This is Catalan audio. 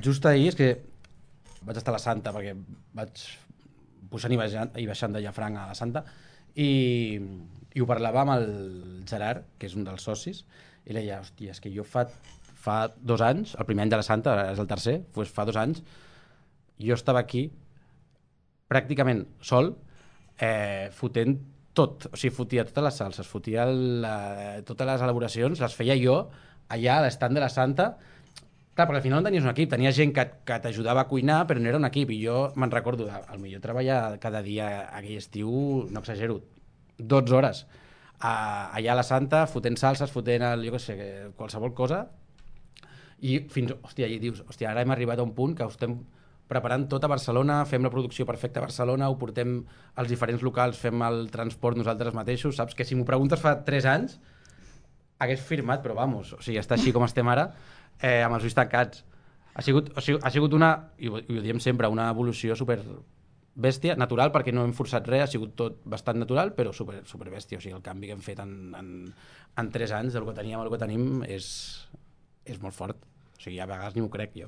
Just ahir és que vaig estar a la Santa perquè vaig pujant i baixant de Llafranc a la Santa i ho parlava amb el Gerard, que és un dels socis, i li deia, hòstia, és que jo fa 2 anys, el primer any de la Santa, ara és el tercer, doncs fa 2 anys, jo estava aquí pràcticament sol, fotent tot, o sigui, fotia totes les salses, fotia totes les elaboracions, les feia jo allà a l'estand de la Santa. Clar, perquè al final no tenies un equip, tenies gent que t'ajudava a cuinar, però no era un equip, i jo me'n recordo, al millor treballar cada dia aquell estiu, no exagero, 12 hores, allà a la Santa, fotent salses, fotent jo què sé, qualsevol cosa, i fins, hòstia, i dius, hòstia, ara hem arribat a un punt que ho estem preparant tot a Barcelona, fem la producció perfecta a Barcelona, ho portem als diferents locals, fem el transport nosaltres mateixos, saps? Que si m'ho preguntes fa 3 anys, hagués firmat, però vamos, o sigui, està així com estem ara, amb els ulls tancats. Ha sigut una, i ho diem sempre, una evolució super bèstia, natural, perquè no hem forçat res, ha sigut tot bastant natural, però super bèstia. O sigui, el canvi que hem fet en 3 anys del que teníem al que tenim és molt fort. O sigui, a vegades ni m'ho crec jo.